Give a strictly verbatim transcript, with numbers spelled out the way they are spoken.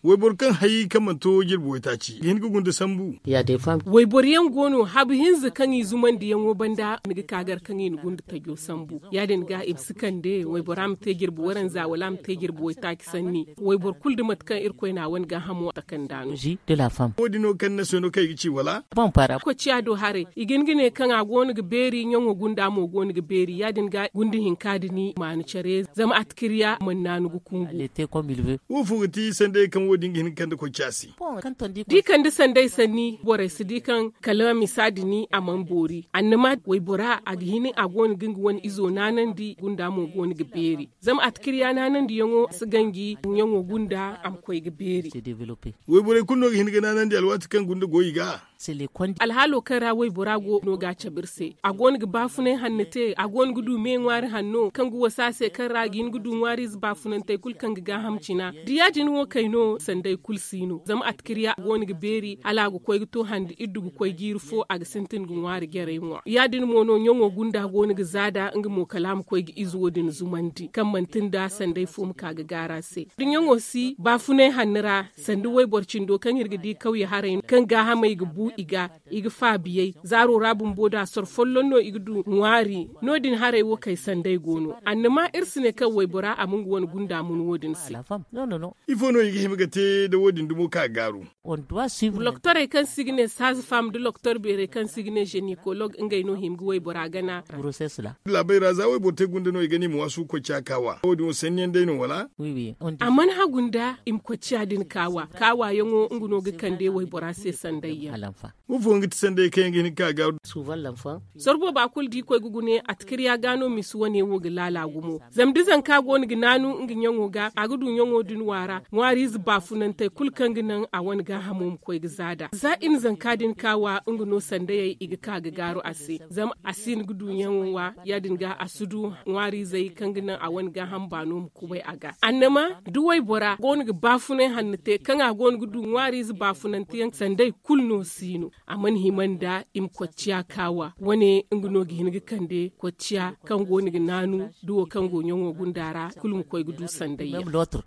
Wayboro kaŋ hay kaŋ mana to jirbi waytaaci ga hin ga gunda sambu. Wayboro yaŋ go no habu hinza kaŋ i zumandiyaŋo banda ni ga ka gar kaŋ i na gunda tajo sambu. Ya- din ga i ma si kande waybora ma te jirbi waranza wala a ma te jirbi waytaaci sanni. Wayboro kulu da mate kaŋ irkoy na a wane gaahamo takanda no. Wo- din no kaŋ ni na se no kaŋ i ga ci wala? Kocciya do haray i ga hin ga ne kaŋ a go no ga beeri ɲaŋo gunda mo go no ga beeri ya- din ga gunda hinka da ni maanu care zama atikirya mana naanu ga kungu. Wo fo ga ti sanday kaŋ wo- din ga hin ga kande kocciya se? Da i kande sanday sanni borey si di kaŋ kala misa da ni a mana boori annama waybora a ga hin a go no ga nga wane izo naanandi gunda mo go no ga beeri. Zama atikirya naanandiyaŋo si ganji ɲaŋo gunda a ma koy ga beeri. Wayborey kulu no ga hin ga naanandi alwaati kaŋ gunda go i ga. Alhaalo kaŋ ra waybora go no ga a cabe iri se a go no ga baafunay hanno te a go no ga du me ŋwaari hanno kaŋ ga wasa se kaŋ ra a ga hin ga du ŋwaariize baafunantey kulu kaŋ ga gaaham cina da ya- din wo kay no sanday kulu si no zama atikirya a go no ga beeri hala a ga koy ga to hande iddu ga koy jiiri fo a ga sintin ga ŋwaari jarey ŋwa ya- din mo no ɲaŋo gunda go no ga zaada nga mo kala a ma koy ga izo din zumandi kaŋ manti nda sanday fo ma ka ga gaara se da ɲaŋo si baafunay hanno ra sanda wayboro cindo kaŋ iri ga di kawye haray kaŋ gaahamey ga bu i ga i ga faabiyey zaaro ra bumbo da soro folloŋ no i ga du ŋwaari no- din haray wo kay sanday go no annama iri si ne kaŋ waybora a ma nga wane gunda mun wo- din se. Ifo no i ga hima ga te da wo- din dumo ka gaaru? Loktorey kaŋ se i ga ne saaza fam nda loktor beerey kaŋ se i ga ne zenikolog ngey no hima ga waybora gana. Laabey ra za wayboro te gunda no i ga ne i ma waasu ga koy ciya kaawa wo- din wo sanniyaŋ day no wala? A mana hagu nda i ma koy ciya din kaawa kaawaayaŋo nga no ga kande waybora se sandayyaŋ. Wo fooyaŋ ga ti sanday kaŋ yaŋ ga hin ga ka ga. Sorbo ba kulu da i koy ga gune atikirya ga no misi wane wo ga laala gumo zama da zanka go no ga naanu nga ɲaŋo ga a ga du ɲaŋo din waara ŋwaariize baafunantey kulu kaŋ ga naŋ a wane gaahamo ma koy ga zaada za i na zanka din ka wa nga no sandayey i ga ka ga gaaru a se zama a si hin ga du ɲaŋo wa ya- din ga a si du ŋwaariizey kaŋ ga naŋ a wane gaaham baano ma kubay a ga annama da waybora go no ga baafunay hanno te kaŋ a go no ga du ŋwaariize baafunante yaŋ sanday kulu no si no a mana hima nda i ma kocciya kaawa wane nga no ga hin ga kande kocciya kaŋ go no ga naanu da wo kaŋ go ɲaŋo gunda ra kulu ma koy ga du sanday yaŋ.